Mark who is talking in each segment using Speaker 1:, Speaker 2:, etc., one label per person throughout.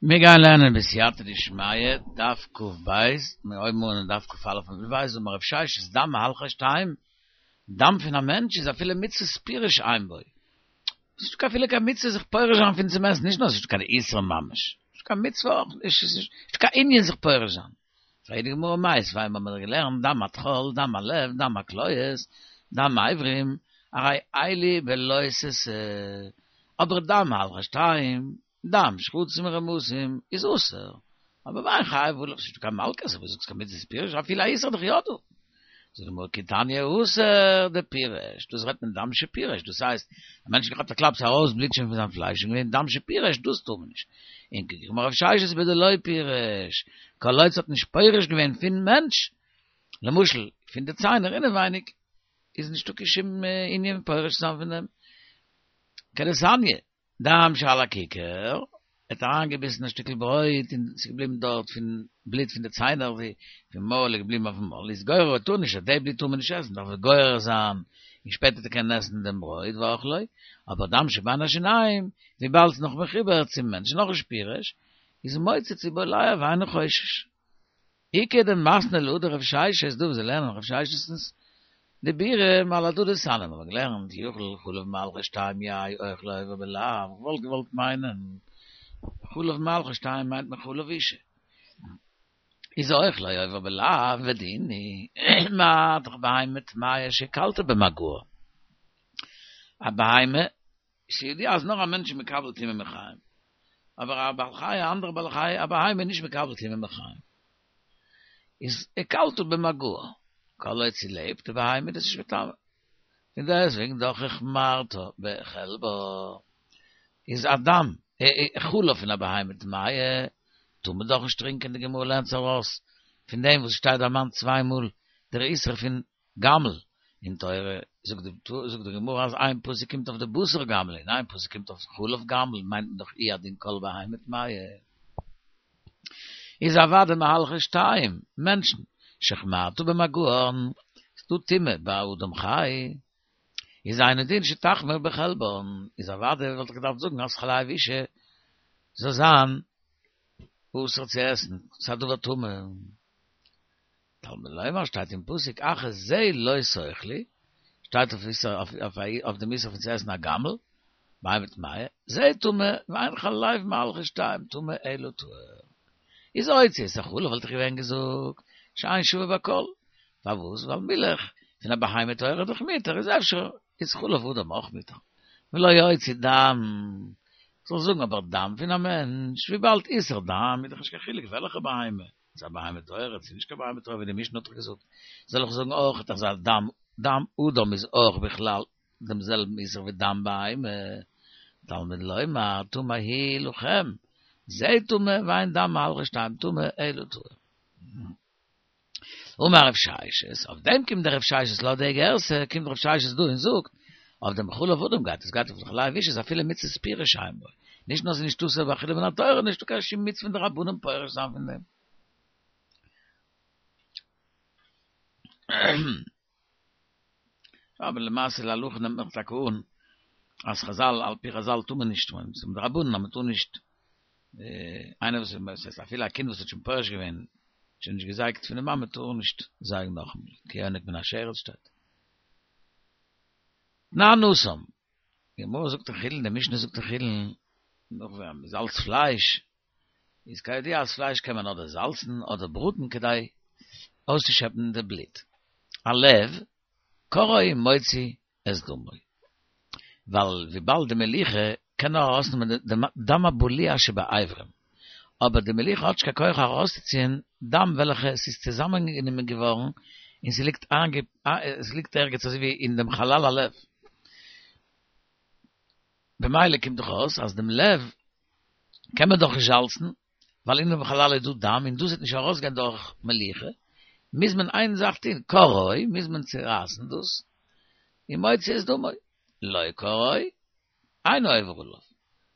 Speaker 1: מיר גייען לערנען בסייעתא דשמיא, דף קב, מיר הויבן אן אין דף כא עמוד ב', אמר רב ששת דם מהלכי שתיים, דם פון א מענטש איז אפילו מצוות פירוש אין בו, ס'איז נישטא אפילו קיין מצוה זיך פורש זיין פון צום עסן, נישט נאר ס'איז נישטא קיין איסור ממש, נישטא קיין מצוה אויך נישט, ס'איז נישטא קיין ענין זיך פורש זיין. פרעגט די גמרא מיתיבי, האבן מיר געלערנט דם הטחול, דם הלב, דם הכליות, דם האיברים, הרי אלו בלא תעשה, אבער דם מהלכי שתיים, דם שרצים ורמשים איז אסור, אבער ואין חייב עליו, ס'נישטא קיין מלקות, וואס זאגסט קיין מצות פירוש, אפילו א איסור איז דאך יא דא. זאגט די גמרא כי תניא התם דפירש, דאס רעדט מען דם שפירש, דאס הייסט, א מענטש האט געכאפט א קלאפ ס'איז ארויס בלוט שוין פון זיין פלייש און געווען דם שפירש, דאס טאר מען נישט. און אמר רב ששת בדלא פירש, כל עוד ס'האט נישט פורש געווען פון מענטש, למשל פון די ציינער אינעווייניג, איז נישטא קיין שום ענין פורש צו זיין פון דעם. כדתניא, דם שעל הכיכר, ער האט אריינגעביסן א שטיקל ברויט און ס'איז געבליבן דארט פון בלוט פון די ציינער ווי פון מויל איז געבליבן אויפן מויל, איז גורר טאר נישט, די בלוט טאר מען נישט עסן, דארף ער גורר זיין און שפעטער צו קענען עסן דעם ברויט ואכלו, אבער דם שבין השיניים, וויבאלד ס'איז נאך מחובר צום מענטש נאך נישט פירש, איז מוצץ ובולע ואינו חושש. איכא דמתני להא דרב ששת דא וואס זיי לערנען רב ששת'נס דיבורים על הדא דתניא מיר האבן געלערנט יכול חלב מהלכי שתיים יהא אוכלו עובר בלאו איך וואלט געוואלט מיינען חלב מהלכי שתיים מיינט מען חלב אשה איז אוכלו עובר בלאו ודין הוא מה דאך בהמה טמאה שהכלת במגעה א בהמה ס'איז ידוע אז נאר א מענטש איז מקבל טומאה מחיים, אבער א בעל חי, א אנדערע בעל חי, א בהמה איז נישט מקבל טומאה מחיים. איז הקלתה במגעה, כל עוד ס'לעבט די בהמה איז דאס נישט מטמא. און דעסוועגן דאך החמרת בחלבה, איז א דם, חלב פון א בהמה טמאה, טאר מען דאך נישט טרינקען, די גמרא לערנט זיך ארויס פון דעם וואס שטייט דערמאנט צוויי מאל דער איסור פון גמל אין תורה, זאגט די זאגט די גמרא אז איין פסוק קומט אויף די בשר גמל און איין פסוק קומט אויף חלב גמל, מיינט מען דאך הוא הדין כל בהמה טמאה. איז אוודאי מהלכי שתיים, מענטשן, שהחמרת במגען, ס'דא טומאה ביי אדם חי, איז אינו דין שתחמיר בחלבן, איז אוודאי וואלט איך געדארפט זאגן אז חלב אשה זאל זיין אסור צו עסן, ס'איז א דבר טמא. תלמוד לומר שטייט אין פסוק אך את זה לא תאכלו, שטייט אויף אויף דעם איסור פון צו עסן א גמל, בהמה טמאה, זה טמא, ואין חלב מהלכי שתיים טמא אלא טהור. איז הוציא את החלב וואלט איך געווען געזאגט שאין שווה בכל, פארוואס? ווייל מילך פון א בהמה טהורה איז דאך מותר, איז אפשר איז חלב אדם אויך מותר. ולא הוציא דם, כ'זאל זאגן אבער דם פון א מענטש, וויבאלד איסור דם איז דאך נישט קיין חילוק וועלכע בהמה. צו א בהמה טהורה, צו נישט קיין בהמה טהורה, ווי די משנה האט דאך געזאגט, זאל איך זאגן אויך אז א דם, דם אדם איז אויך בכלל דעם זעלבן איסור ווי דם בהמה, תלמוד לומר, טמא הוא לכם, זה טמא ואין דם מהלכי שתיים טמא אלא טהור. אמר רב ששת, אויף דעם קומט דער רב ששת לויט די גירסא, קומט רב ששת דא און זאגט, אויף דעם חלב אדם גייט עס גייט אויף חלב אשה איז אפילו מצות פירוש אין בו, נישט נאר ס'איז נישט אסור באכילה מן התורה, נישטא קיין שום מצוה פון די רבנן פורש זיין פון דעם. אבער למעשה להלכה נעמט מען דאך טאקע אן אז חזל על פי חזל טאר מען נישט, ס'איז מדרבנן אז מ'טאר נישט, איינער וואס איז אפילו א קינד וואס האט שוין פורש געווען, שוין נישט געזייגט פון די מאמע טאר נישט זייגן נאכאמאל, כי יונק מן השרץ שטייט. תנן התם, די גמרא זאגט אין חולין, די משנה זאגט אין חולין, נאך ווען מען זאלצט פלייש, איז כידוע אז פלייש קען מען אדער זאלצן אדער בראטן כדי אויסצושעפן די בלוט. הלב, קורעו ומוציא את דמו. ווייל וויבאלד די מליחה קען נאר ארויסנעמען די דם הבלוע שבאיברים, אבער די מליחה האט נישט קיין כח ארויסצוציען דם וועלכע ס'איז צוזאמענגענומען געווארן און ס'ליגט ס'ליגט ערגעץ אזוי ווי אין דעם חלל הלב. במילא קומט דאך אויס אז דעם לב קען מען דאך נישט זאלצן, ווייל אין דעם חלל איז דא דם און דאס וועט נישט ארויסגיין דורך מליחה, מוז מען איין זאך טון, קורעו, מוז מען צורייסן דאס, ומוציא את דמו, לא קרעו, אינו עובר עליו.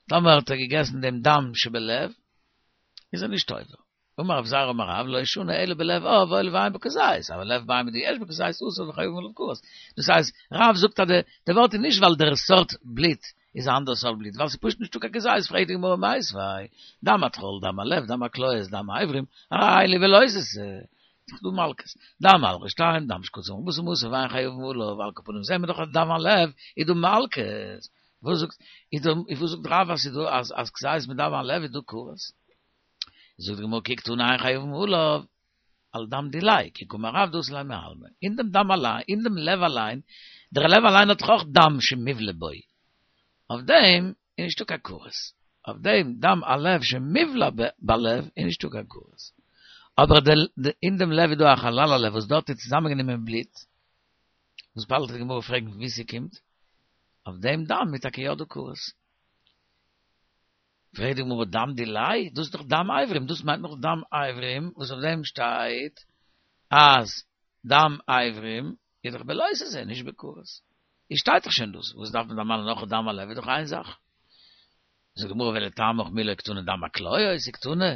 Speaker 1: טאמער האט ער געגעסן דעם דם שבלב, איז ער נישט עובר. אמר רב זירא אמר רב, לא שנו אלא בלב עוף הואיל ואין בו כזית, אבל לב בהמה דיש בו כזית אסור וחייבין עליו כרת. דאס הייסט, רב זאגט אז די ווארט איז נישט ווייל דער סארט בלוט. איז א אנדערע סארט בלוט, ווייל ס'איז פשוט נישטא קיין כזית, פרעגט די גמרא מיתיבי, דם הטחול, דם הלב, דם הכליות, דם האיברים, הרי אלו בלא תעשה, ס'איז דא מלקות, דם מהלכי שתיים, דם שקצים ארבעה עשר ואין חייבין עליו, על כל פנים זעהן מיר דאך אז דם הלב איז דא מלקות, וואס זאגט איז דא וואס זאגט רב אז ס'איז דא אז אז כזית מיט דם הלב איז דא כרת? זאגט די גמרא כי קתני אין חייבין עליו על דם דיליה, כי קאמר רב דאתי ליה מעלמא, אין דעם דם אליין, אין דעם לב אליין, דער לב אליין האט דאך אויך דם שמובלע בו, אויף דעם איז נישטא קיין כרת, אויף דעם דם הלב שמובלע בלב איז נישטא קיין כרת, אבער אין דעם לב איז דא א חלל הלב וואס דארט איז צוזאמענגענומען בלוט, וואס באלד וועט די גמרא פרעגן פון וואו ס'קומט, אויף דעם דם איז טאקע יא דא כרת. פרעגט די גמרא דם דיליה, דאס איז דאך דם אברים, דאס מיינט נאך דם אברים, וואס אויף דעם שטייט אז דם אברים איז דאך בלא תעשה, נישט בכרת. איז שטייט דאך שוין דאס, וואס דארף מען דערמאנען נאך דם הלב איז דאך איין זאך. זאגט די גמרא ולטעמיך מי לא קתני דם הכליות קתני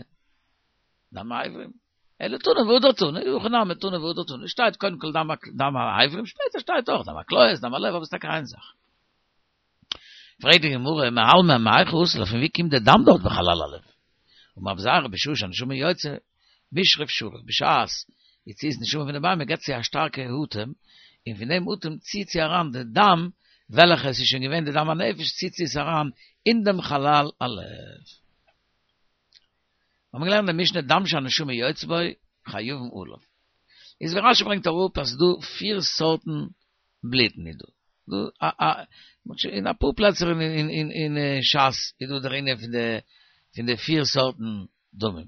Speaker 1: דם האברים. אלא תנא והדר תנא, הכא נמי תנא והדר תנא, שטייט קודם כל דם האברים, שפעטער שטייט אויך דם הכליות, דם הלב, אבער ס'איז טאקע איין זאך. פרעגט די גמרא, מעלמא מהיכא אתי ליה, פון ווי קומט די דם דארט בחלל הלב? אמר רבי זירא בשעה שהנשמה יוצאה, מישרף שריף, בשעת יציאת נשמה פון די בהמה געבט זי א שטארקע אטעם, און פון דעם אטעם ציט זי אריין די דם, וועלכע עס איז שוין געווען די דם הנפש, ציט זי עס אריין אין דעם חלל הלב. האבן מיר געלערנט אין די משנה דם שהנשמה יוצאה בו חייבין עליו. איז ווי רשי ברענגט אראפ אז ס'דא פיר סארטן בלוטן איז דא. דא א א אין אפאר פלעצער אין אין אין שס איז דא דער ענין פון די פון די פיר סארטן דמים.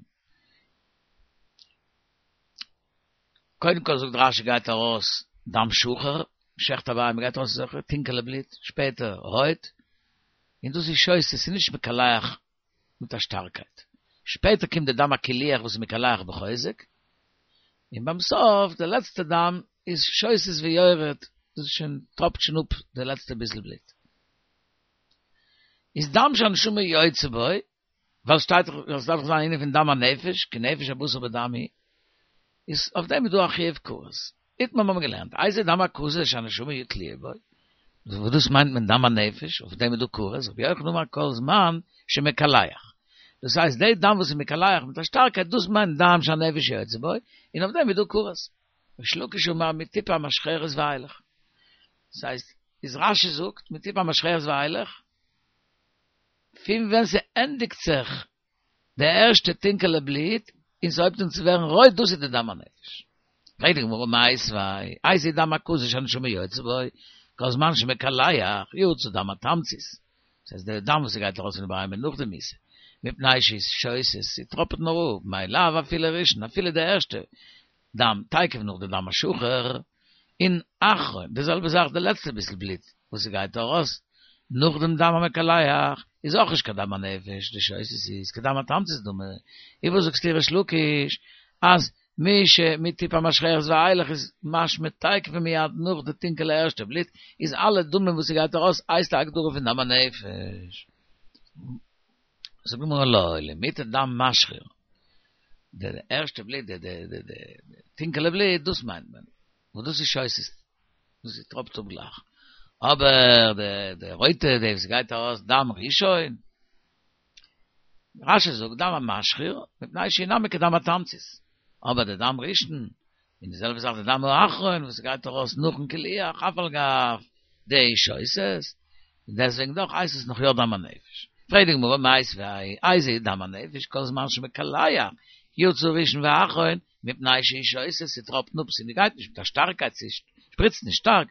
Speaker 1: קודם כל זאגט רשי גייט ארויס דם שחור, מ'שעכט א בהמה גייט ארויס אזעלכע טונקעלע בלוט, שפעטער רויט, און דאס איז שותה, ס'איז נישט מקלח מיט א שטארקייט. שפעטער קומט די דם הקילוח וואס איז מקלח בחוזק, און ביים סוף די לעצטע דם איז שותת ויורד, דאס איז שוין טראפט שוין אפ די לעצטע ביסל בלוט. איז דם שהנשמה יוצאה בו, ווייל שטייט דאך עס דארף דאך זיין א ענין פון דם הנפש, כי נפש הבשר בדם היא, איז אויף דעם איז דא א חיוב כרת. איתמר האבן מיר געלערנט, איזה דם הקזה שהנשמה תלויה בו, וואס דאס מיינט מען דם הנפש, אויף דעם איז דא כרת, רבי יוחנן אמר כל זמן שמקלח. דאס הייסט די דם וואס איז מקלח מיט א שטארקייט דאס מיינט דם שהנפש יוצאה בו, און אויף דעם איז דא כרת. ריש לקיש אמר מטיפה המשחרת ואילך. דאס הייסט, איז רשי זאגט מטיפה המשחרת ואילך, פון ווען ס'ענדיגט זיך די ערשטע טונקעלע בלוט און ס'הויבט אן צו ווערן רויט דאס איז די דם הנפש. פרעגט די גמרא מיתיבי, איזה דם הקזה שהנשמה יוצאה בו, כל זמן שמקלח, יצא דם התמצית, דאס הייסט די דם וואס ס'גייט ארויס פון די בהמה נאך די מיתה, מפני שהיא שותת, ס'טראפעט נאר אפ, מאי לאו אפילו ראשון, אפילו די ערשטע דם, תיכף נאך די דם השחור, און אחרון, די זעלבע זאך די לעצטע ביסל בלוט וואס ס'גייט ארויס נאך דעם דם המקלח, איז אויך נישט קיין דם הנפש, דשותת איז כדם התמצית דמי, איז וואס זאגסטו ריש לקיש אז מי ש מטיפה המשחרת ואילך איז משמע תיכף ומיד נאך די טונקעלע ערשטע בלוט, איז אלע דמים וואס ס'גייט ארויס הייסט א הגדרה פון דם הנפש. זאגט די גמרא לא, למעוטי דם משחיר, די ערשטע בלוט, די די די די טונקעלע בלוט, דאס מיינט מען, וואס דאס איז שותת, דאס איז טראפט אפ גלייך, אבער די די רויטע, די וואס גייט ארויס דם ראשון, רשי זאגט דם המשחיר, מפני שהוא נמי כדם התמצית, אבער די דם ראשון, און די זעלבע זאך די דם האחרון וואס גייט ארויס נאכן קילוח אף על גב דשותת, און דעסוועגן דאך הייסט עס נאך יא דם הנפש. פרעגט די גמרא מיתיבי, איזה דם הנפש כל זמן שמקלח יצא ראשון ואחרון מפני שהיא שותת ס'טראפט אפ ס'גייט נישט מיט א שטארקייט ס'שפריצט נישט שטארק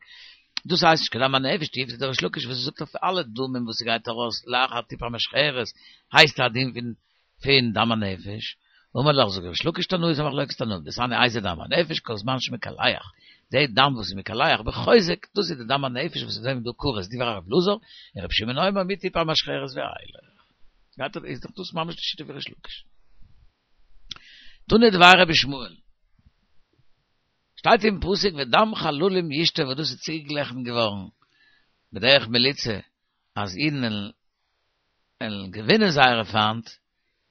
Speaker 1: דאס הייסט נישט קיין דם הנפש תיובתא דריש לקיש וואס זאגט אויף אלע דמים וואס ס'גייט ארויס לאחר טיפה המשחרת הייסט א דין פון פון דם הנפש, אמר לך זאגט ריש לקיש תנאי איז א מחלוקת תנאים, דתניא איזה דם הנפש כל זמן שמקלח, די דם וואס איז מקלח בחוזק, דאס איז די דם הנפש וואס אויף דעם איז דא כרת, דברי רב אלעזר, און רבי שמעון אומר מטיפה המשחרת ואילך. ווייטער איז דאך דאס ממש די שיטה פון ריש לקיש. תנא דבי רבי ישמעאל. שטייט אין פסוק ודם חללים ישתה וואס דאס איז צוגעגליכן געווארן בדרך מליצה אז אידן וועלן געווינען זייערע פיינט,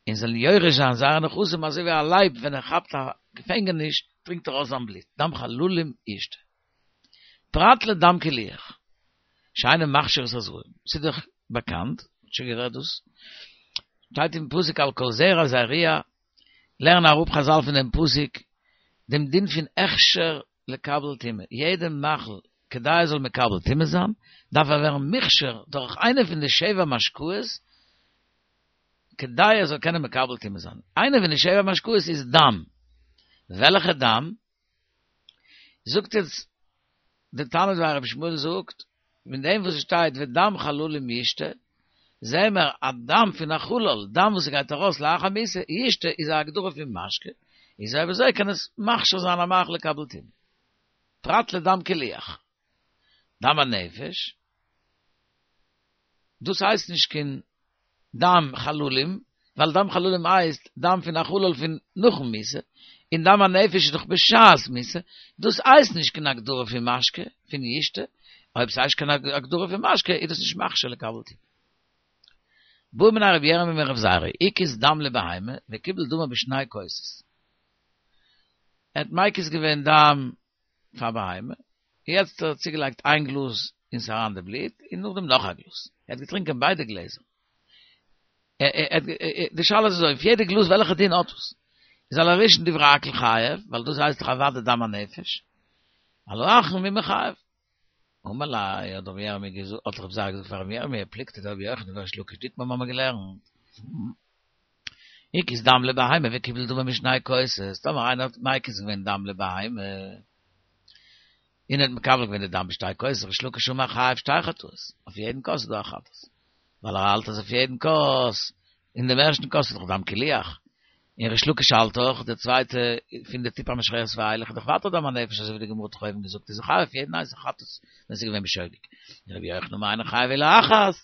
Speaker 1: און זאלן יורש זיין זייערע נכסים אזוי ווי א לייב ווען ער כאפט א געפענגעניש טרינקט ער אויס זיין בלוט, דם חללים ישתה. פרט לדם קילוח, שאינו מכשיר את הזרעים, ס'איז דאך. באקאנט, שוין גערעדט דאס, שטייט אין פסוק על כל זרע זריע, לערנען אראפ חזל פון דעם פסוק דעם דין פון הכשר לקבל טומאה, יעדע מאכל כדי ער זאל מקבל טומאה זיין, דארף ער ווערן מוכשר דורך איינע פון די שבע משקאות, כדי ער זאל קענען מקבל טומאה זיין. איינע פון די שבע משקאות איז דם. וועלכע דם? זאגט יעצט די תנא דבי רבי ישמעאל זאגט, פון דעם וואס עס שטייט ודם חללים ישתה, זעהן מיר אז דם פון א חלל, דם וואס גייט ארויס לאחר מיתה, ישתה איז א הגדרה פון משקה, איז אויב אזוי קען עס מכשיר זיין א מאכל לקבל טומאה. פרט לדם קילוח. דם הנפש, דאס הייסט נישט קיין דם חללים, ווייל דם חללים הייסט דם פון א חלל פון נאכן מיתה, און דם הנפש איז דאך בשעת מיתה, דאס הייסט נישט קיין הגדרה פון משקה, פון ישתה, אויב ס'הייסט קיין הגדרה פון משקה איז דאס נישט מכשיר לקבל טומאה. בעא מיניה רבי ירמי' מרב זירא, הקיז דם לבהמה וקיבל דמה בשני כוסות. ער האט מקיז געווען דם פאר בהמה, יעצט האט ער צוגעלייגט איין גלאז און ס'איז אריין די בלוט, און נאכדעם נאך א גלאז. ער האט געטרינקען ביידע גלעזער. די שאלה איז אזוי, אויף יעדע גלאז וועלכע דין האט עס? איז על הראשון דברי הכל חייב, ווייל דאס הייסט דאך אוודאי דם הנפש. על האחרון מי מיחייב. אמר ליה, האט רבי ירמי' געזאגט, האט רב זירא געזאגט פאר רבי ירמי', פלוגתא דרבי יוחנן וריש לקיש דאיתמר מיר האבן געלערנט. הקיז דם לבהמה וקיבל דמה משני כוסות, טאמער איינער האט מקיז געווען דם לבהמה, און ער האט מקבל געווען די דם בשתי כוסות, ריש לקיש אמר חייב שתי חטאות, אויף יעדן כוס איז דא א חטאת, ווייל ער האלט אז אויף יעדן כוס, אין דעם ערשטן כוס איז דאך דם קילוח, און ריש לקיש האלט דאך, די צווייטע פון די טיפה המשחרת ואילך איז דאך ווייטער דם הנפש אזוי ווי די גמרא האט דאך אויבן געזאגט איז ער חייב אויף יעדן איינס א חטאת ווען ס'איז געווען בשוגג, און רבי יוחנן אמר אינו חייב אלא אחת.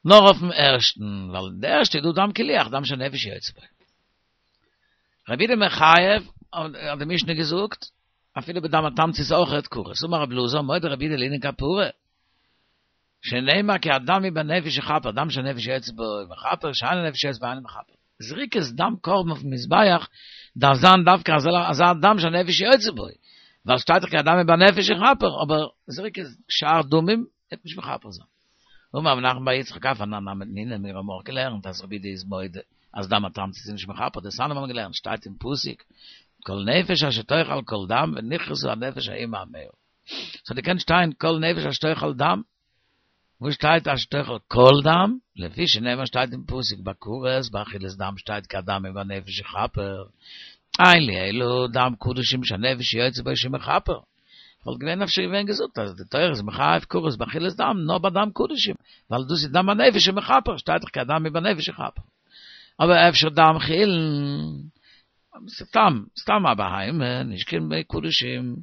Speaker 1: נאר אויפן ערשטן, ווייל אין די ערשטע איז דא דם קילוח, דם שהנפש יוצאה בו. רבי יהודה מחייב, האט די משנה געזאגט, אפילו בדם התמצית אויכעט כרת. אמר רבי אלעזר, מודה רבי יהודה לענין כפרה, שנאמר כי הדם הוא בנפש יכפר, דם שהנפש יוצאה בו מכפר, שאין הנפש יוצאה בו אינו מכפר. זריקת דם קרבן אויפן מזבח דארף זיין דווקא אזא דם שהנפש יוצאה בו, ווייל שטייט דאך כי הדם הוא בנפש יכפר, אבער זריקת שאר דמים וועט נישט מכפר זיין. אמר רב נחמן בר יצחק אף אנן נמי תנינא מיר האבן אויך געלערנט אז רבי יהודה איז מודה אז דם התמצית איז נישט מכפר דתניא מיר האבן געלערנט שטייט אין פסוק כל נפש אשר תאכל כל דם ונכרתה הנפש ההיא מעמיה ס'האט געקענט שטיין כל נפש אשר תאכל דם וואס שטייט אשר תאכל כל דם לפי שנאמר שטייט אין פסוק ביי כרת באכילת דם שטייט כי הדם הוא בנפש יכפר אין לי אלא דם קדשים שהנפש יוצאה בו שמכפר וואלט געווען אפשר געווען געזאגט אז די תורה איז מחייב כרת באכילת דם נאר ביי דם קדשים, ווייל דאס איז דם הנפש שמכפר, שטייט דאך כי הדם הוא בנפש יכפר. אבער אפשר דם חולין, סתם, סתם א בהמה, נישט קיין קדשים,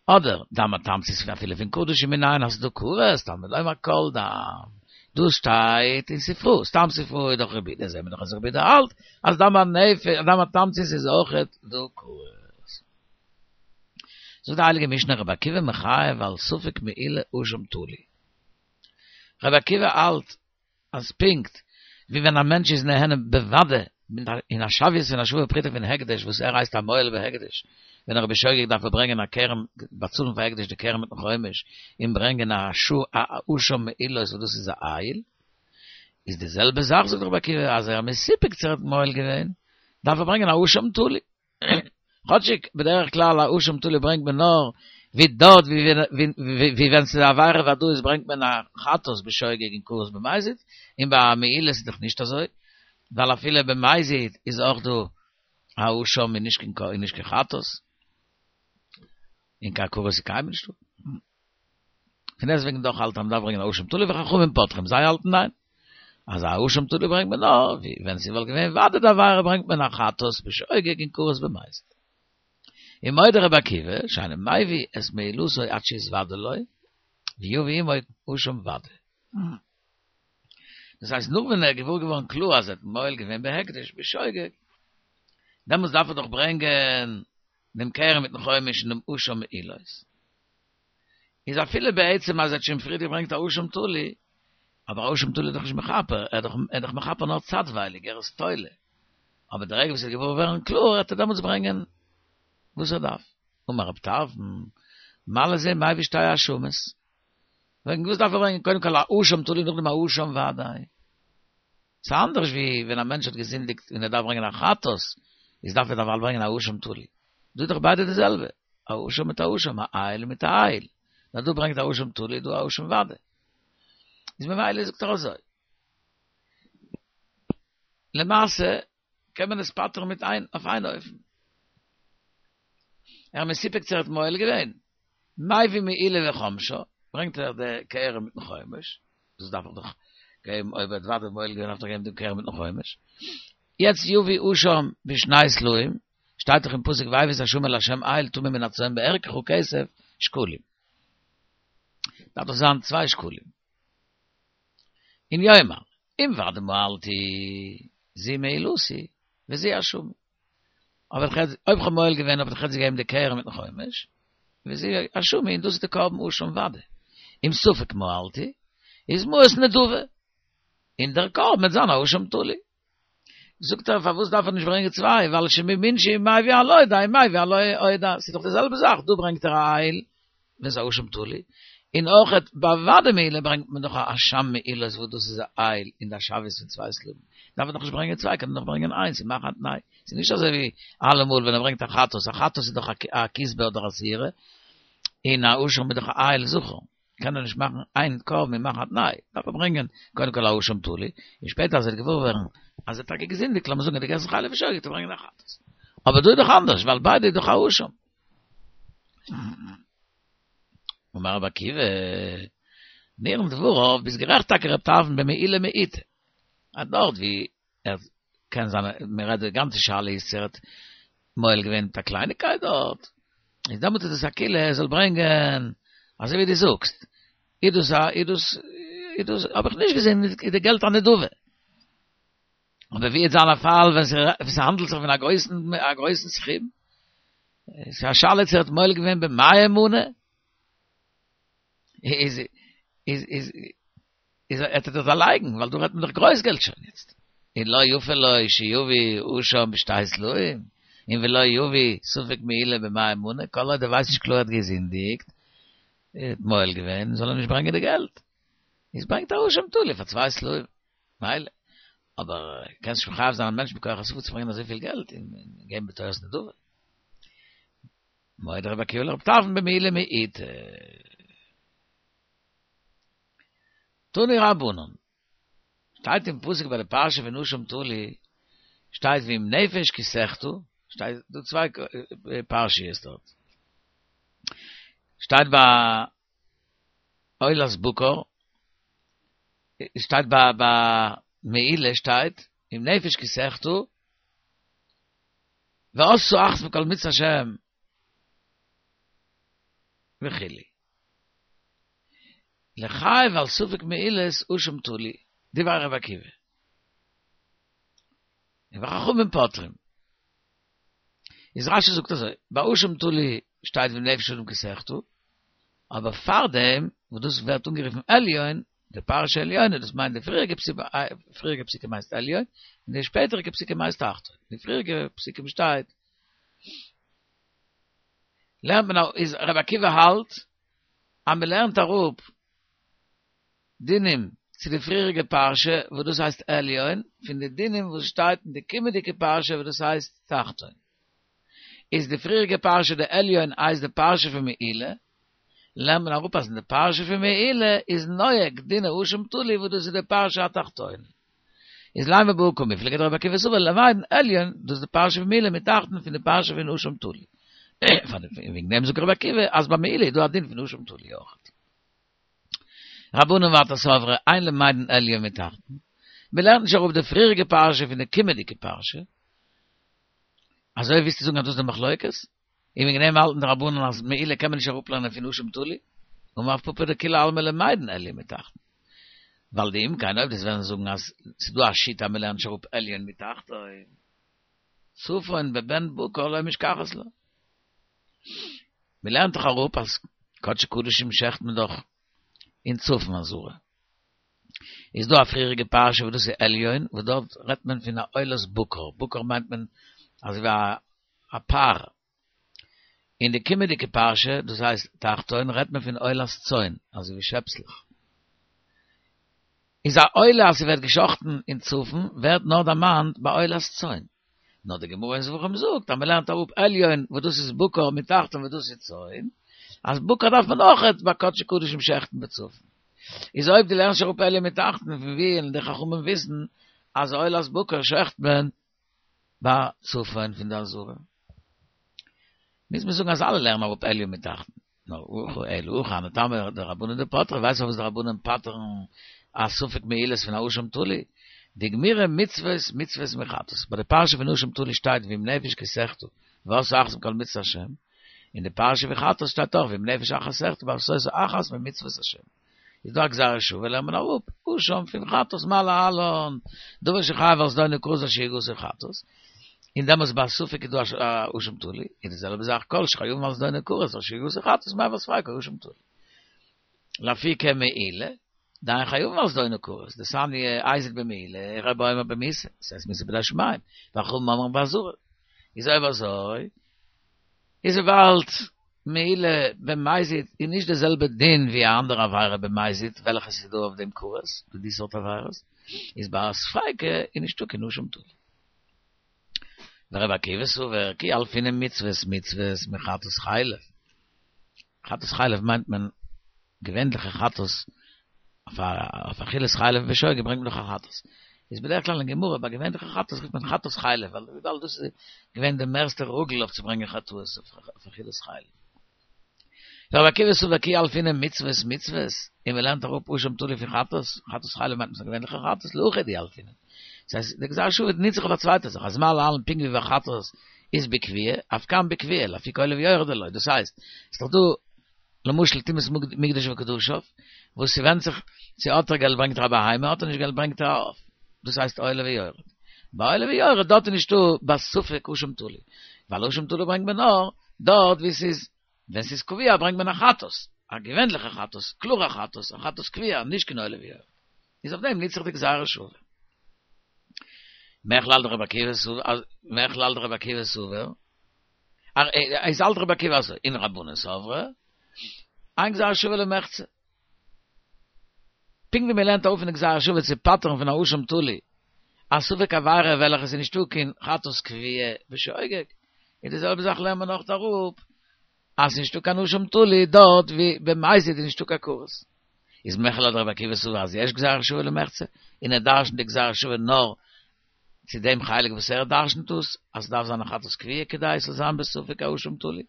Speaker 1: אדער דם התמצית אפילו פון קדשים מנין אז ס'דא כרת, תלמוד לומר כל דם, דאס שטייט אין ספרא, סתם ספרא איז דאך רבי יהודה, זעהן מיר דאך אז רבי יהודה האלט אז דם הנפש, דם התמצית איז אויכעט דא כרת. זאגט די הייליגע משנה רבי עקיבא מחייב על ספק מעילה אשם תלוי. רבי עקיבא האלט אז פונקט ווי ווען א מענטש איז נהנה בוודאי אין א שוויות פון א שווה פרוטה פון הקדש וואס ער הייסט א מועל בהקדש, ווען ער איז בשוגג דארף ער ברענגען א קרן באצאלן פאר הקדש די קרן מיטן חומש און ברענגען א אשם מעילות וואס דאס איז א איל, איז די זעלבע זאך זאגט רבי עקיבא אז ער איז מסופק צו ער האט מועל געווען דארף ער ברענגען א אשם תלוי. כאטשיג בדרך כלל א אשם תלוי ברענגט מען נאר ווי דארט ווי ווען ס'איז א עבירה ודאית ברענגט מען א חטאת בשוגג און כרת במזיד, און ביי א מעילה איז דאך נישט אזוי, ווייל אפילו במזיד איז אויך דא א אשם און נישט קיין חטאת, און קיין כרת איז קיינמאל נישטא. פון דעסטוועגן דאך האלט אז מ'דארף ברענגען א אשם תלוי וחכמים פוטרים זיי האלטן ניין אז א אשם תלוי ברענגט מען נאר ווי ווען ס'וואלט געווען וודאי די עבירה ברענגט מען א חטאת בשוגג און כרת במזיד. ומודה רבי עקיבא שאינו מביא את מעילתו עד שיתוודע לו ויביא עמו אשם ודאי. דאס הייסט נאך ווען ער איז געוואר געווארן קלאר אז ער האט מועל געווען בהקדש בשוגג דעמאלטס דארף ער דאך ברענגען דעם קרן מיטן חומש און דעם אשם מעילות. איז אפילו בעצם אז ער האט שוין פריער געברענגט א אשם תלוי, אבער א אשם תלוי איז דאך נישט מכפר, ער איז דאך מכפר נאר צייטווייליג, ער איז תולה. אבער די רגע וואס ער וועט געוואר ווערן קלאר, וועט ער דעמאלטס ברענגען וואס ער דארף. אמר רב טרפון, מה לזה מביא שתי אשמות? וועגן וואס דארף ער ברענגען קודם כל א אשם תלוי נאכדעם א אשם ודאי? ס'איז אנדערש ווי ווען א מענטש האט געזינדיגט און ער דארף ברענגען א חטאת, איז דארף ער דערווייל ברענגען א אשם תלוי. דא איז דאך ביידע די זעלבע, א אשם מיט א אשם, א איל מיט א איל. נאר דא ברענגט א אשם תלוי, דא א אשם ודאי. איז ממילא זאגט ער אזוי. למעשה קען מען עס פטר'ן מיט איין אויף איין אופן. ער איז מסופק צו ער האט מועל געווען. מביא מעילה וחומשה, ברענגט ער די קרן מיטן חומש, דאס דארף איך דאך געבן אויב ער האט ודאי מועל געווען דארף איך געבן דעם קרן מיטן חומש. יעצט יביא אשם בשני סלעים, שטייט דאך אין פסוק והביא את האשמים לה' איל טמא מן הצאן בערכך כסף שקלים. דארף דאך זיין צוויי שקלים. און יאמר, אם ודאי מעלתי, זו מעילתי, וזו אשמי. אבער איך אויב כ'האב מועל געווען האב איך יעצט געגעבן די קרן מיטן חומש, וזו אשמי, און דאס איז די קרבן אשם ודאי. אם ספק מעלתי, איז מעות נדבה, און דער קרבן וועט זיין א אשם תלוי. זאגט ער פארוואס דארף ער נישט ברענגען צוויי, ווייל שמין שהוא מביא על עודה מביא על עודה, ס'איז דאך די זעלבע זאך, דא ברענגט ער א איל ווען ס'איז א אשם תלוי, און אויכעט ביי ודאי מעילה ברענגט מען דאך א אשם מעילות וואס דאס איז א איל און די שוויות פון צוויי סלעים, דארף ער דאך נישט ברענגען צוויי קען ער דאך ברענגען איינס און מאכן א תנאי, ס'איז נישט אזוי ווי אלעמאל ווען ער ברענגט א חטאת, א חטאת איז דאך א כשבה אדער א שעירה, און א אשם איז דאך א איל זכר. קען ער נישט מאכן איין קרבן און מאכן א תנאי, דארף ער ברענגען קודם כל א אשם תלוי, און שפעטער אז ער וועט געוואר ווערן אז ער האט טאקע געזינדיגט, לאמיר זאגן ער האט געגעסן חלב בשוגג, וועט ער ברענגען א חטאת. אבער דא איז דאך אנדערש, ווייל ביידע איז דאך א אשם. אמר רבי עקיבא, נראין דבריו, ביסט גערעכט טאקע רב טרפון במעילה מעיטה, אז דארט ווי ער קען זיין מען רעדט די גאנצע שאלה איז צו ער האט מועל געווען מיט א קלייניקייט דארט, איז דעמאלט איז עס א קולא ער זאל ברענגען אזוי ווי דו זאגסט, איז דאס א איז דאס איז דאס האב איך נישט געזען איז די געלט א נדבה. אבער ווי וועט זיין א פאל ווען ס'האנדלט זיך פון א גרויסן א גרויסן סכום, ס'איז א שאלה צו ער האט מועל געווען במאה מנה, איז איז איז איז ער וועט ער דאך דערלייגן, ווייל דא רעדט מען דאך גרויס געלט שוין יעצט. און לא יפה לו שיביא אשם בשתי סלעים, און ולא יביא ספק מעילה במאה מנה, כל עוד ער ווייסט נישט קלאר ער האט געזינדיגט, ער האט מועל געווען, זאל ער נישט ברענגען די געלט. איז ברענגט א אשם תלוי פאר צוויי סלעים. מילא. אבער קענסט נישט מחייב זיין א מענטש מכח השפה צו ברענגען אזויפיל געלט און געבן בתורת נדבה. מודה רבי עקיבא לרב טרפון במעילה מעיטה. תנו רבנן, שטייט אין פסוק ביי די פרשה פון אשם תלוי, שטייט ואם נפש כי תחטא, שטייט דא צוויי פרשיות דארט, שטייט ביי עולת בקר, שטייט ביי ביי מעילה שטייט אם נפש כי תחטא, ועשתה אחת מכל מצות השם וכו'. לחייב על ספק מעילות אשם תלוי, דברי רבי עקיבא. און וחכמים פוטרים. איז רשי זאגט אזוי, ביי אשם תלוי שטייט ואם נפש אדם כי תחטא, אבער פארדעם וואס דאס ווערט אנגערופן עליון, די פרשה עליונה, דאס מיינט די פריעריגע פריעריגע פסוקים הייסט עליון, און די שפעטעריגע פסוקים הייסט תחתון. די פריעריגע פסוקים שטייט, לערנט מען איז רבי עקיבא האלט אז מען לערנט אראפ דינים צו די פריעריגע פרשה וואס דאס הייסט עליון, פון די דינים וואס שטייט אין די קומענדיגע פרשה וואס דאס הייסט תחתון. איז די פריעריגע פרשה די עליון הייסט די פרשה פון מעילה, לערנט מען אראפ אז אין די פרשה פון מעילה איז נוהג דיני אשם תלוי וואס דאס איז די פרשה התחתונה. איז לימא בהא קמיפלגי דרבי עקיבא סבר למדן עליון, דאס איז די פרשה פון מעילה מתחתון פון די פרשה פון אשם תלוי. וועגן דעם זאגט רבי עקיבא אז ביי מעילה איז דא א דין פון אשם תלוי אויך. רבנן ווייטער סברי אין למדין עליון מתחתון, מען לערנט נישט אראפ די פריעריגע פרשה פון די קומענדיגע פרשה. אזוי ווילסטו זאגן אז דאס איז די מחלוקת? און וועגן דעם האלטן די רבנן אז מעילה קען מען נישט אראפלערנען פון אשם תלוי, אמר רב פפא דכולי עלמא למדין עליון מתחתון. ווייל דאם כן אויב דו'סט וועלן זאגן אז ס'איז דא א שיטה אז מ'לערנט נישט אראפ עליון מתחתון, צפון בבן בקר לא משכחת לה. מ'לערנט דאך אראפ אז קדשי קדשים שעכט מען דאך אין צפון עזרה. איז דא א פריעריגע פרשה וואס דאס איז עליון, וואס דארט רעדט מען פון א עולת בקר, בקר מיינט מען אזוי ווי א א פר. אין די קומענדיגע פרשה, דאס הייסט תחתון, רעדט מען פון עולת צאן, אזוי ווי שעפסלעך. איז א עולה אז ס'ווערט געשאכטן אין צפון ווערט נאר דערמאנט ביי עולת צאן. נאר די גמרא אין זבחים זאגט אז מ'לערנט אראפ עליון וואס דאס איז בקר מיט תחתון וואס דאס איז צאן, אז בקר דארף מען אויכעט ביי קדשי קדשים שעכטן בצפון. איז אויב דו לערנסט אראפ עליון מיט תחתון פון ווי וועלן די חכמים וויסן אז עולת בקר שעכט מען ביי צפון פון די עזרה? מוז מען זאגן אז אלע לערנען אראפ עליון מיט תחתון. נאר הכא אלא הכא הני טעמא דרבנן דפטרי, ווייסט פארוואס די רבנן פטר'ן א ספק מעילות פון א אשם תלוי? דגמירי מצוות מצוות מחטאת. ביי די פרשה פון אשם תלוי שטייט ואם נפש כי תחטא ועשתה אחת מכל מצוות השם, אין די פרשה פון חטאת שטייט אויך ואם נפש אחת תחטא ועשתה אחת ממצוות השם. איז דא א גזירה שוה לערנט מען אראפ אשם פון חטאת מה להלן דבר שחייב על זדונו כרת על שגגתו חטאת, און דעמאלטס ביי ספק איז דא א אשם תלוי, איז די זעלבע זאך כל שחייבין על זדונו כרת על שגגתו חטאת מיעוו ספיקו אשם תלוי. לאפוקי מעילה, דאין חייבין על זדונו כרת, דתניא הזיד במעילה, רבי אומר במיתה, ס'הייסט מיתה בידי שמים, וחכמים אומרים באזהרה. איז אויב אזוי, איז וויבאלד מעילה במזיד איז נישט די זעלבע דין ווי א אנדערע עבירה במזיד וועלכע ס'איז דא אויף דעם כרת, ווי די סארט עבירות, איז ביי א ספיקא איז נישטא קיין אשם תלוי. ורבי עקיבא סבר כי ילפינן מצוות מצוות מחטאת חלב. חטאת חלב מיינט מען געווענליכע חטאת, אויף אכילת חלב בשוגג ברענגט מען דאך א חטאת. איז בדרך כלל אין גמרא ביי געווענליכע חטאת רופט מען חטאת חלב, ווייל וויבאלד דאס איז געווען די מערסטע רגיל אויף צו ברענגען חטאות אויף אכילת חלב. ורבי עקיבא סבר כי ילפינן מצוות מצוות, און מען לערנט אראפ אשם תלוי פון חטאת, חטאת חלב מיינט מען געווענליכע חטאת, להכי ילפינן. דאס הייסט די גזירה שוה ניצט זיך אויף א צווייטע זאך, אז מה להלן פונקט ווי ביי חטאת איז בקביעה, אף כאן בקביעה, לאפוקי עולה ויורד דלא, דאס הייסט, ס'איז דאך דא למשל טומאת מקדש וקדשיו, וואס ס'ווענדט זיך צו האט ער געלט ברענגט ער א בהמה, האט ער נישט געלט ברענגט ער א עוף, דאס הייסט עולה ויורד. ביי עולה ויורד דארט איז נישטא בספק אשם תלוי, ווייל אשם תלוי ברענגט מען נאר דארט ווי ס'איז, ווען ס'איז קבוע ברענגט מען א חטאת, א געווענליכע חטאת, קלארע חטאת, א חטאת קבוע, נישט קיין עולה ויורד. איז אויף דעם ניצט זיך די גזירה שוה. מכלל דרבי עקיבא סבר, מכלל דרבי עקיבא סבר, איז האלט רבי עקיבא אזוי, און רבנן סברי, אין גזירה שוה למחצה. פונקט ווי מען לערנט אראפ פון די גזירה שוה צו פטר'ן פון א אשם תלוי, א ספק עבירה וועלכע עס איז נישטא קיין חטאת קבועה בשוגג, איז די זעלבע זאך לערנט מען אויך אראפ אז ס'איז נישטא קיין אשם תלוי דארט ווי במזיד איז נישטא קיין כרת. איז מכלל דרבי עקיבא סבר אז יש גזירה שוה למחצה, און ער דרש'נט די גזירה שוה נאר צו דעם חלק וואס ער דרש'נט דאס, אז ס'דארף זיין א חטאת קבועה כדי עס זאל זיין בספק א אשם תלוי.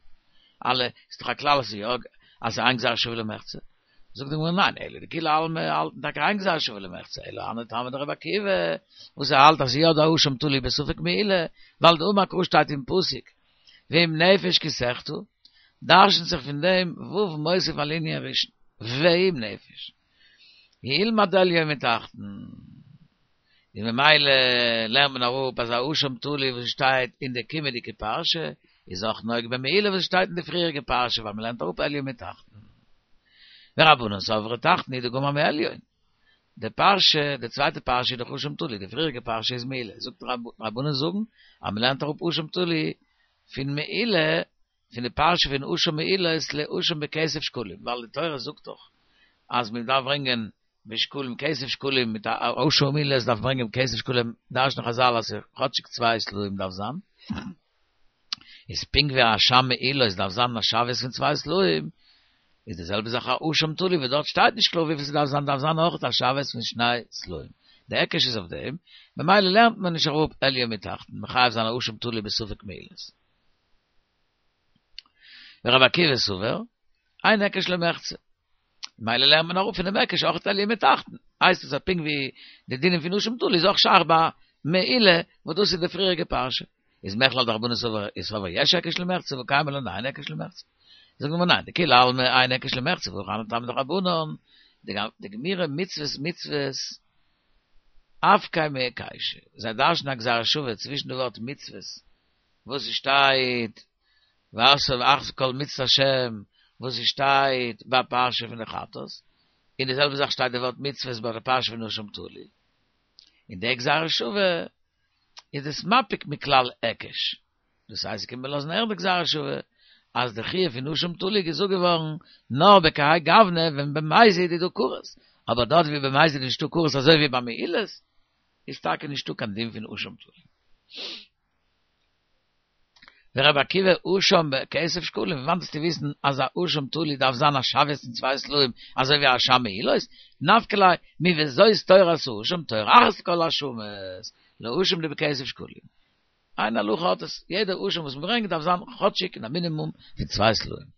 Speaker 1: אלא, איז דאך א כלל אז יא, אז ס'איז אין גזירה שוה למחצה. זאגט די גמרא ניין, אלא דכולי עלמא האלטן טאקע אין גזירה שוה למחצה, אלא הני טעמא דרבי עקיבא, וואס ער האלט אז יא דא אשם תלוי בספק מעילה, ווייל דאמר קרא שטייט אין פסוק, ואם נפש כי תחטא, דרש'נט זיך פון דעם ו' מוסיף על ענין ראשון, ואם נפש. ילמד עליון מתחתון. און ממילא לערנט מען אראפ אז א אשם תלוי וואס שטייט אין די קומעדיגע פרשה איז אויך נוהג במעילה וואס שטייט אין די פריעריגע פרשה ווייל מען לערנט אראפ עליון מתחתון. ורבנן סברי תחתון הוא דגמר מעליון. די פרשה, די צווייטע פרשה איז דאך אשם תלוי, די פריעריגע פרשה איז מעילה. זאגט רבנן זאגן אז מען לערנט אראפ אשם תלוי פון מעילה פון די פרשה פון אשם מעילות לאשם בכסף שקלים, ווייל די תורה זאגט דאך אז מען דארף ברענגען בשקלים כסף שקלים מיט א אשם מעילות דארף ברענגען כסף שקלים, דרש'נען חזל אז כאטשיג צוויי סלעים דארף זיין, איז פונקט ווי א אשם מעילות דארף זיין א שוויות פון צוויי סלעים, איז די זעלבע זאך א אשם תלוי וואס דארט שטייט נישט קלאר וויפיל ס'דארף זיין דארף זיין אויך א שוויות פון שני סלעים, די היקש איז אויף דעם, ממילא לערנט מען נישט אראפ עליון מתחתון, מחייב זיין א אשם תלוי בספק מעילות. ורבי עקיבא סבר, אין היקש למחצה. מילא לערנט מען אראפ פונעם היקש אויך עליון מתחתון. הייסט עס אז פונקט ווי די דינים פון אשם תלוי איז אויך שייך ביי מעילה, וואס דאס איז די פריעריגע פרשה. איז מכלל דרבנן סבר איז סבר יש היקש למחצה והא קיימא לן דאין היקש למחצה. זאגט די גמרא ניין, דכולי עלמא אין היקש למחצה והכא הני טעמא דרבנן, דגמירי מצוות מצוות אפקיה מהיקישא. זיי דרש'נען א גזירה שווה צווישן די ווארט מצוות וואס עס שטייט ועשו אחת מכל מצות השם וואס עס שטייט ביי פרשה פון די חטאת, און די זעלבע זאך שטייט די ווארט מצוות ביי די פרשה פון אשם תלוי, און די גזירה שווה איז דאס מפיק מכלל היקש, דאס הייסט קען מען לאזן הערן די גזירה שווה. אז די חיוב פון אשם תלוי געזאגט געווארן נאר בכהאי גוונא ווען במזיד איז דא כרת, אבער דארט ווי במזיד איז נישטא כרת אזוי ווי ביי מעילות איז טאקע נישטא קיין דין פון אשם תלוי. ורבי עקיבא אשם בכסף שקלים, וואנעט וועסטו וויסן אז א אשם תלוי דארף זיין א שוויות פון צוויי סלעים אזוי ווי א אשם מעילות, נפקא ליה מוזאת תורת האשם תורה אחת לכל האשמות, לאשם דבכסף שקלים. איין הלכה האט עס, יעדע אשם וואס מ'ברענגט דארף זיין כאטשיג אין א מינימום פון צוויי סלעים.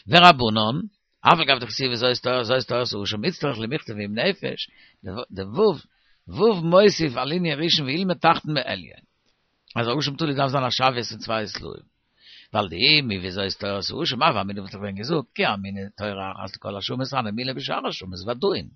Speaker 1: ורבנן, אף על גב דכתיב וזאת תורת זאת תורת האשם איצטריך למכתב ועם נפש, די ו' ו' מוסיף על ענין ראשון ואילמד תחתון בעליון. אז א אשם תלוי דארף זיין א שוויות פון צוויי סלעים. ווייל דאי מוזאת תורת האשם הוה אמינא וואלט איך ווען געזאגט כי אמינא תורה אחת לכל האשמות הני מילי בשאר האשמות ודאין.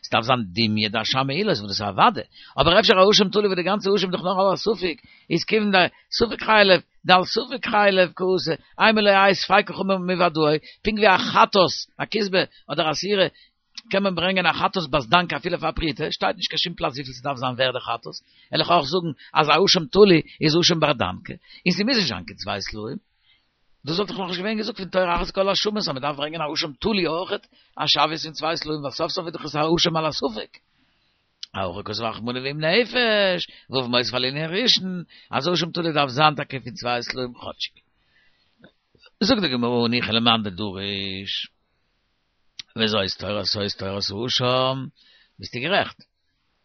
Speaker 1: ס'דארף זיין דומיא דאשם מעילות וואס דאס איז א ודאי. אבער אפשר א אשם תלוי וואס די גאנצע אשם איז דאך נאר על הספק איז כיוון דספק חלף דעל ספק חלף קאתי אימא לא יהא ספיקו חמור מוודאי פונקט ווי א חטאת א כשבה אדער א שעירה קען מען ברענגען א חטאת בת דנקא אפילו פאר פרוטה, שטייט נישט קיין שום פלאץ וויפיל ס'דארף זיין ווערד די חטאת, וועל איך אויך זאגן אז א אשם תלוי איז אשם בר דנקא, און ס'מוז נישט זיין קיין צוויי סלעים. דאס וואלט דאך נאכנישט געווען געזאגט פון תורה אחת לכל האשמות אז מ'דארף ברענגען א אשם תלוי אויכעט א שוויות פון צוויי סלעים ווייל סוף סוף איז דאך עס א אשם על הספק. הכא כתב רחמנא ועם נפש, ו' מוסיף על ענין ראשון, אז אשם תלוי דארף זיין טאקע פון צוויי סלעים כאטשיג. זאגט די גמרא הניחא למאן דדריש. וזאת תורת זאת תורת האשם, ביסטו גערעכט.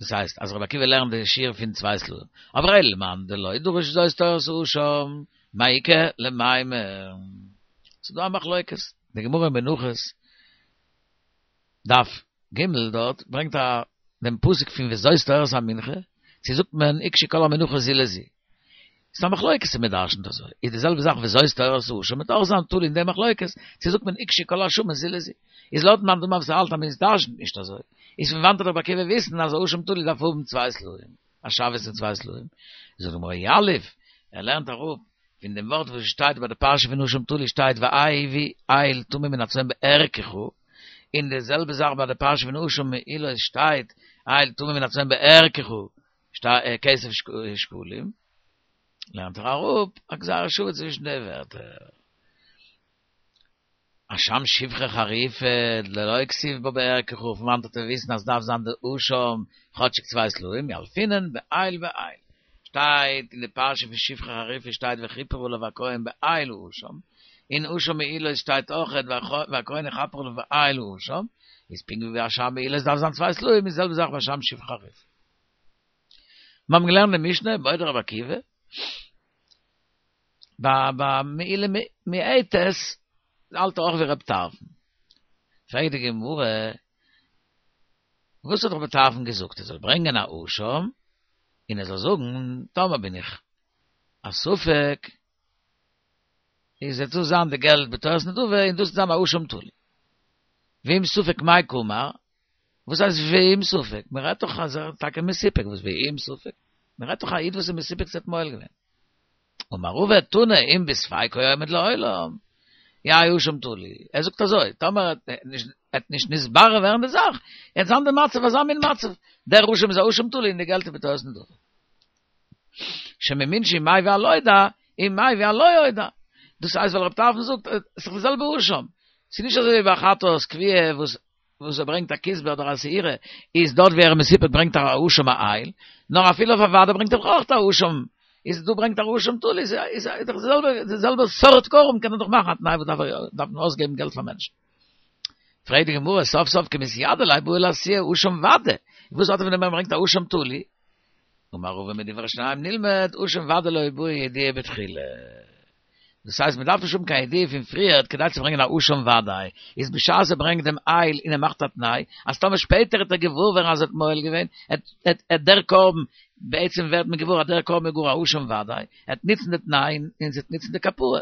Speaker 1: דאס הייסט אז רבי עקיבא לערנט די שיעור פון צוויי סלעים. אבער אלא למאן דלא דריש וזאת תורת האשם, מאי איכא למימר. ס'איז דא א מחלוקת, די גמרא אין מנחות, דף ג' דארט ברענגט א דעם פסוק פון וזאת תורת המנחה, צו זאגט מען הוקשו כל המנחות זו לזו. ס'איז א מחלוקת צו מ'דרשנ'ט אזוי, איז די זעלבע זאך וזאת תורת האשם וועט אויך זיין תלוי אין די מחלוקת, צו זאגט מען הוקשו כל האשמות זו לזו. איז לויטן מאן דאמר וואס האלט אז מען דרשנ'ט נישט אזוי, איז פון וואנעט וועט רבי עקיבא וויסן אז אשם תלוי דארף האבן צוויי סלעים, א שוויות פון צוויי סלעים. זאגט די גמרא יליף, ער לערנט אראפ פון דעם ווארט וואס שטייט ביי די פרשה פון אשם תלוי שטייט והביא איל טמא מן הצאן בערכך, און די זעלבע זאך ביי די פרשה פון אשם מעילות שטייט איל טמא מן הצאן בערכך, כסף שקלים, לערנט ער אראפ א גזירה שווה צווישן די ווערטער. אשם שפחה חרופה, דלא כתיב בה בערכך, פון וואנעט וועט ער וויסן אז דארף זיין די אשם כאטשיג צוויי סלעים, ילפינן באיל ואיל. שטייט אין די פרשה פון שפחה חרופה שטייט וכיפר עליו הכהן באיל האשם, אין אשם מעילות שטייט אויכעט והכהן יכפר עליו באיל האשם, איז פונקט ווי ביי אשם מעילות דארף זיין צוויי סלעים איז די זעלבע זאך ביי אשם שפחה חרופה. מיר האבן געלערנט די משנה, מודה רבי עקיבא, ביי ביי מעילה מועטת האלט ער אויך ווי רבי טרפון. פרעגט די גמרא, וואס האט רבי טרפון געזאגט? ער זאל ברענגען א אשם, און ער זאל זאגן, טאמער בין איך א ספק, איז וועט דאס זיין די געלט בתורת נדבה, און דאס וועט זיין א אשם תלוי. ואם ספק מאי קאמר, וואס הייסט ואם ספק? מען רעדט דאך אז ער איז טאקע מסופק, וואס ואם ספק? מען רעדט דאך א איד וואס איז מסופק צו ער האט מועל געווען. אמר רבא תנא אם בספיקו עומד לעולם, יהא אשם תלוי. ער זאגט אזוי, טאמער וועט נישט נתברר ווערן די זאך, וועט זיין די מצב אזא מין מצב, דער אשם איז א אשם תלוי און די געלט איז בתורת נדבה. שמאמין שאם מביא על הודע, אם מביא על לא אודע. דאס הייסט ווייל רב טרפון זאגט, עס איז דאך די זעלבע אשם. ס'איז נישט אזוי ווי ביי חטאת קבועה וואס וואס ער ברענגט א כשבה אדער א שעירה, איז דארט ווי ער איז מסופק ברענגט ער א אשם א איל, נאר אפילו אויף א ודאי ברענגט ער אויך א אשם, איז דא ברענגט ער אשם תלוי, איז איז דאך די זעלבע די זעלבע סארט קרבן קען ער דאך מאכן א תנאי וואס דארף ער דארף מען אויסגעבן געלט פאר מענטשן. פרעגט די גמרא סוף סוף קמתיידי ליה בעי לאתויי אשם ודאי, וואס האט ער פון דעם ווען ער ברענגט א אשם תלוי? אמר רבא מדברי שניהם נלמד אשם ודאי לא בעי ידיעה בתחילה. דאס הייסט מען דארף נישט האבן קיין ידיעה פון פריערט כדי צו ברענגען א אשם ודאי, איז בשעת ער ברענגט דעם איל און ער מאכט א תנאי אז טאמער שפעטער וועט ער געוואר ווערן אז ער האט מועל געווען, עט דער קרבן, בעצם ווערט מען געוואר אז דער קרבן איז גאר א אשם ודאי, עט נוצן די תנאי און ס'עט נוצן די כפרה.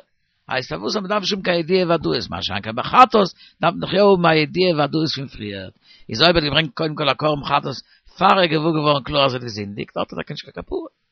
Speaker 1: הייסט פארוואס אז מען דארף נישט האבן קיין ידיעה ודאות, מה שאין כן ביי חטאת דארף מען דאך יא האבן א ידיעה ודאות פון פריערט, איז אויב ער האט געברענגט קודם כל א קרבן חטאת פאר ער איז געוואר געווארן קלאר אז ער האט געזינדיגט האט ער טאקע נישט קיין כפרה.